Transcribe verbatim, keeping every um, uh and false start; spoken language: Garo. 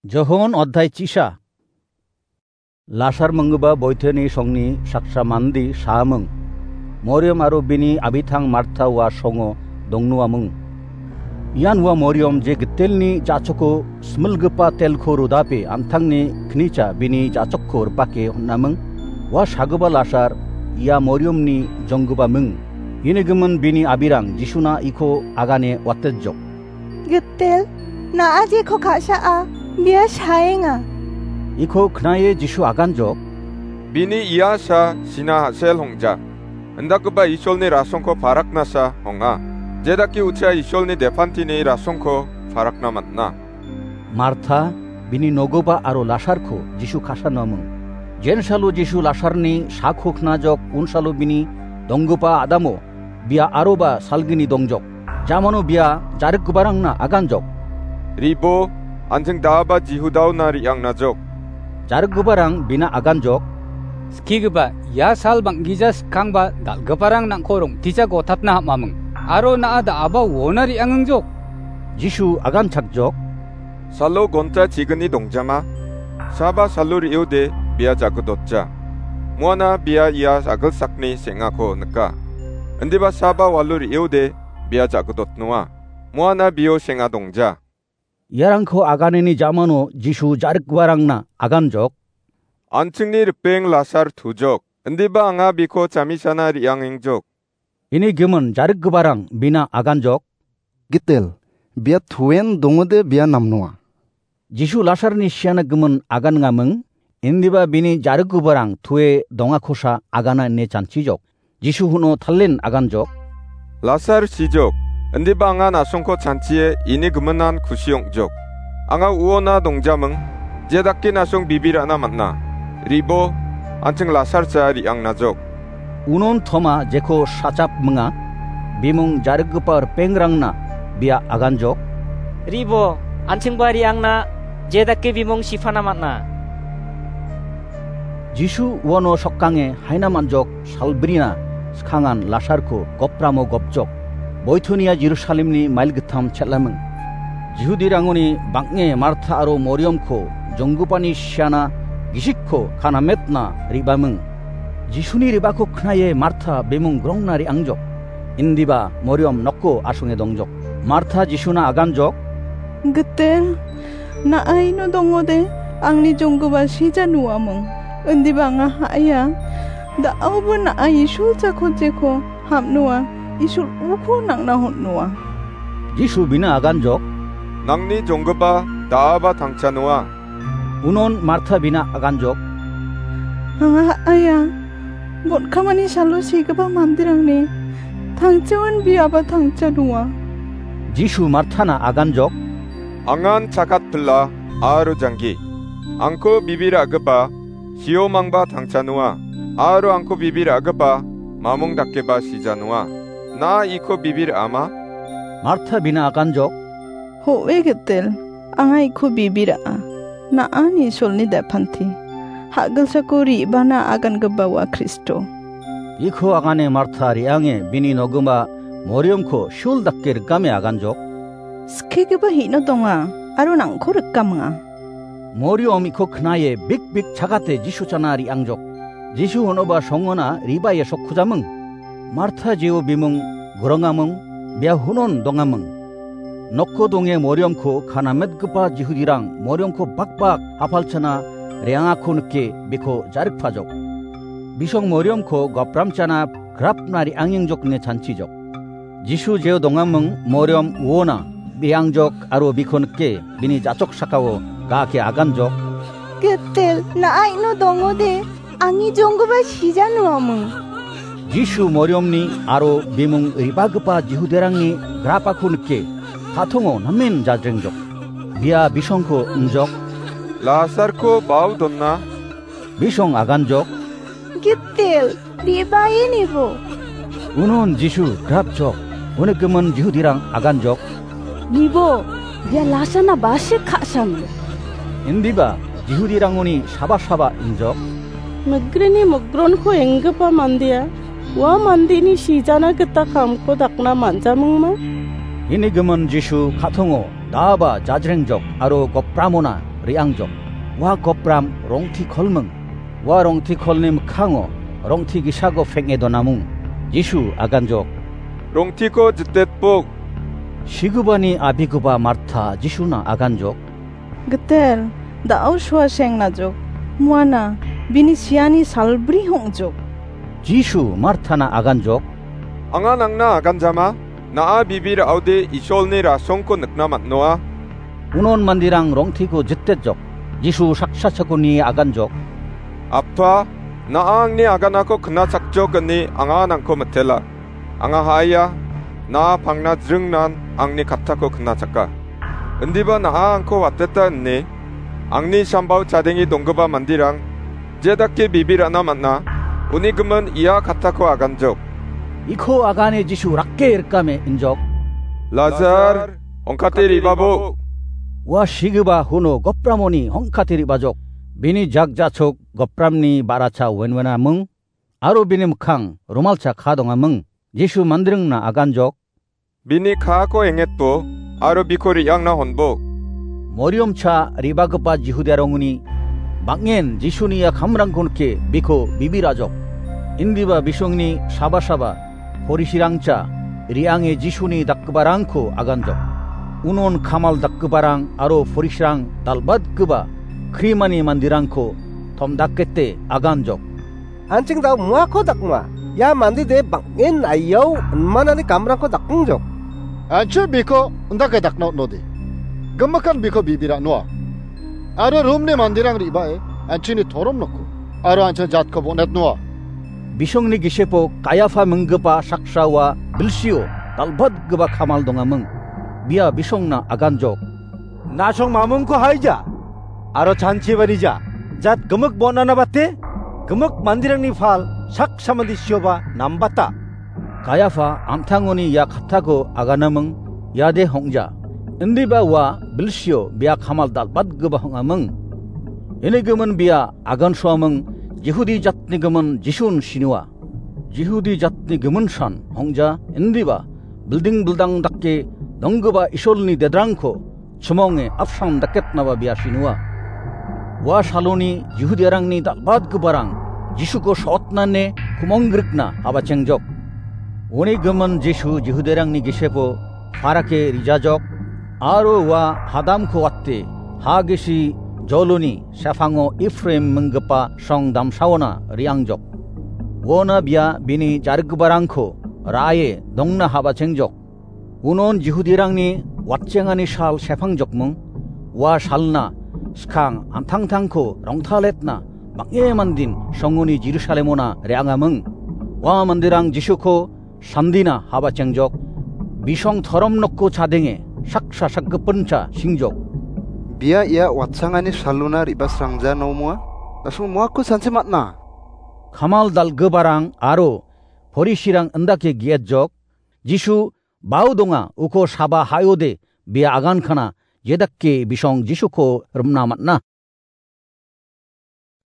Johon odhai chisa. Lasar minggipa boiteni songni saksa mande saaming. Moriam aro bini abitang Martha ua songo dongnuaming. Ian ua Moriam je gitelni jachoko smilgipa telko rodape an·tangni knicha bini jachokko ripake hon·aming. Ua sagipa Lasar ia Moriamni jonggipaming. Ini gimin bini abirang Jisuna iko agane watejok. Gitel, na·a jeko ka·saa, bia saenga. Iko knae Jisu aganjok. Bini ia sa sina hasel hongja. Indakgipa Isolni rasongko paraknasa honga. Jedake ucha Isolni depantini rasongko parakna man·a. Martha, bini nogipa aro Lasarko Jisu kasanuaming. Jensalo Jisu Lasarni sako knajok unsalo bini donggipa adamo bia aroba salgini dongjok. Jamano bia jarikgiparangna aganjok. Ribo, an·ching da·aba Jihudaona re·angnajok. Jarikgiparang bina aganjok. Skigipa, ia sal bang·gija skangba dal·giparang nang·ko rong·tija gotapna ham·aming. Aro na·a da·aba uona re·angengjok. Jisu aganchakjok. Salo gonta chigni dongjama. Saba salo re·ode bia jagidotja. Muana bia ia agilsakni seng·ako nika. Indiba saba walo re·ode bia jagidotnoa. Muana bio seng·a dongja. Iarangko aganeni jamano Jisu jarikgiparangna aganjok. An·chingni ripeng Lasar tujok. Indiba anga biko chamisana re·angengjok. Ini gimin jarikgiparang bina aganjok. Gitel, bia toen dongode bia namnoa. Jisu Lasarni siana gimin agangaming, indiba bini jarikgiparang toe dongakosa agana ine chanchijok. Jisu huno talen aganjok. Lasar sijok, indiba anga na·songko chanchie ini giminan kusi ong·jok. Anga uona dongjaming, jedake na·song bibi ra·na man·a. Ribo, an·ching Lasarsa re·angnajok. Unon Toma jeko sachap minga, bimung jarikgipa ripengrangna bia aganjok. Ribo, an·chingba re·angna jedake bimung sipana man·a. Jisu uano sokkange haina man·jok salbrina skangan Lasarko gopramo gopjok. Boitonia Jerusalemni mail gittam chel·aming. Jihudirangoni bang·e Martha aro Moriamko jonggipani siana gisikko kanametna re·baming. Jisuni re·bako knae Martha bimung grongna re·angjok. Indiba Moriam noko asonge dongjok. Martha Jisuna aganjok. Gitel, na·a ino dongode angni jonggipa sija nuaming. Indiba anga ha·aia. Da·aoba na·a Isul jako jeko ham·noa, Isul uko nang·na hon·noa. Jisu bina aganjok. Nangni jonggipa da·aba tangcha noa. Unon Martha bina aganjok. Anga ha·aia, botkamani salo segipa manderangni tangchaon biaba tangcha donga. Jisu Marthana aganjok. Angan chakat pila aro janggi. Angko bibir a·gipa siomangba tangcha noa, aro angko bibir a·gipa mamung dakeba sija noa. Na iko bibir ama? Martha bina aganjok. Ho·e gitel, anga iko bibir a·a. Na·ani solni depante. Ha·gilsako re·bana agangipa ua Kristo. Iko agane Martha re·ange bini nogipa Moriamko sul dake rikame aganjok. Skigipa hino donga, aro nangko rikaminga. Moriam iko knae bikbik chagate Jisu chana re·angjok. Jisu honoba songona re·bae sokkujaming. Martha jeo bimung gurangaming, bia hunon dongaming. Nokko donge Moriamko kanametgipa Jihudirang Moriamko bakbak apalchana re·angako nike biko jarikpajok. Bisong Moriamko gopramchana grapna re·angengjok ine chanchijok. Jisu jeo dongaming Moriam uona re·angjok aro biko nike bini jachok sakao ga·ake aganjok. Gitel, na·a ino dongode, angni jonggipa sija noaming. Jisu Moriamni aro bimung re·bagipa Jihudirangni grapako nike, ka·tongo namen jajrengjok. Bia bisongko ingjok. Lasarko bao dona. Bisong aganjok. Gitel, re·bae nibo. Unon Jisu grapjok, uni gimin Jihudirang aganjok. Nibo, ia lasana basik ka·sam. Indiba Jihudirangoni saba-saba ingjok. Migrini migronko enggipa mandea, ua mandeni sijana gita kamko dakna man·jamingma? Ini gimin Jisu ka·tongo daba jajrengjok aro gopramona re·angjok. Ua gopram rongti kolming. Ua rongti kolni mikkango rongti gisako peng·e donamung. Jisu aganjok. Rongtiko jitetbok. Sigubani abiguba Marta Jisuna aganjok. Gitel, da·o sua seng najok. Muana, bini siani salbri hong·jok. Jisu Martana aganjok. Anga nangna aganjama, na·a bibi ra·ode Isolni rasongko nikna man·noa. Unon manderang rongtiko jitetjok. Jisu saksa chakoni aganjok. Appa, na·a angni aganako knachakjok ine anga nangko mitela. Anga ha·aia, na·a pangna jringnan angni kattako knachaka. Indiba na·a angko wateta ine, angni sambao chadenge donggipa manderang, je dake bibi ra·na man·a, uni gimin ia kattako aganjok. Iko agane Jisu rake rikame injok. Lazar, ong·kate re·babo. Ua sigipa huno gopramoni ong·kate re·bajok. Bini jak ja·chok gopramni ba·racha wen-wenaming, aro bini mikkang romalcha ka dongaming. Jisu manderengna aganjok. Bini kaako engetbo, aro biko re·angna honbo. Moriomcha re·bagipa Jihudiarangoni bang·en Jisuni ia kamrangko nike biko bibi ra·jok. Indiba bisongni saba-saba Porisirangcha re·ange Jisuni dakgiparangko aganjok. Unon kamal dakgiparang aro Porisirang dal·batgipa krimani manderangko tomdakete aganjok. An·ching da·o muako dakma. Ia mande de bang·en aiao inmanani kamrangko dakengjok. An·ching biko indake dakna on·ode. Gimikan biko bibi ra·noa. Aro Romni manderang re·bae an·chingni torom noko. Aro an·ching jatko bon·etnoa. Bisongni gisepo Kaiafa minggipa saksa ua bilsio dal·batgipa kamal dongaming. Bia bisongna aganjok. Nasong mamungko haija, aro chanchiba nija, jat gimik bon·ana bate, gimik manderangni pal saksa mande sioba nambata. Kaiafa an·tangoni ia kattako aganaming, iade hong·ja. Indiba ua bilsio bia kamal dal·batgipa hong·aming. Ini gimin bia agansoaming Jihudi jatni gimin Jisun sinua. Jihudi jatni giminsan hong·ja indiba bilding bildang dake donggipa Isolni dedrangko chimonge apsan daketnaba bia sinua. Ua saloni Jihudiarangni dal·batgiparang Jisuko sotnane kumongrikna habachengjok. Uni gimin Jisu Jihudiarangni gisepo parake rijajok, aro ua hadamko wate ha gisi joloni sepango Efraim minggipa song damsaona re·angjok. Uona bia bini jargiparangko ra·e dongna habachengjok. Unon Jihudirangni watchengani sal sepangjokming, ua salna skang an·tangtangko rongtaletna bang·e mandin songoni Jerusalemona re·angaming. Ua manderang Jisuko sandina habachengjok. Bisong torom nokko chadenge saksa sakgipincha singjok. Bia ia watchangani salona re·basrangja nomoa? Nasong moako sanchi man·a. Kamal dal·giparang aro Porisirang indake ge·etjok. Jisu bao donga uko saba ha·ode bia agankana jedake bisong Jisuko rimna man·a.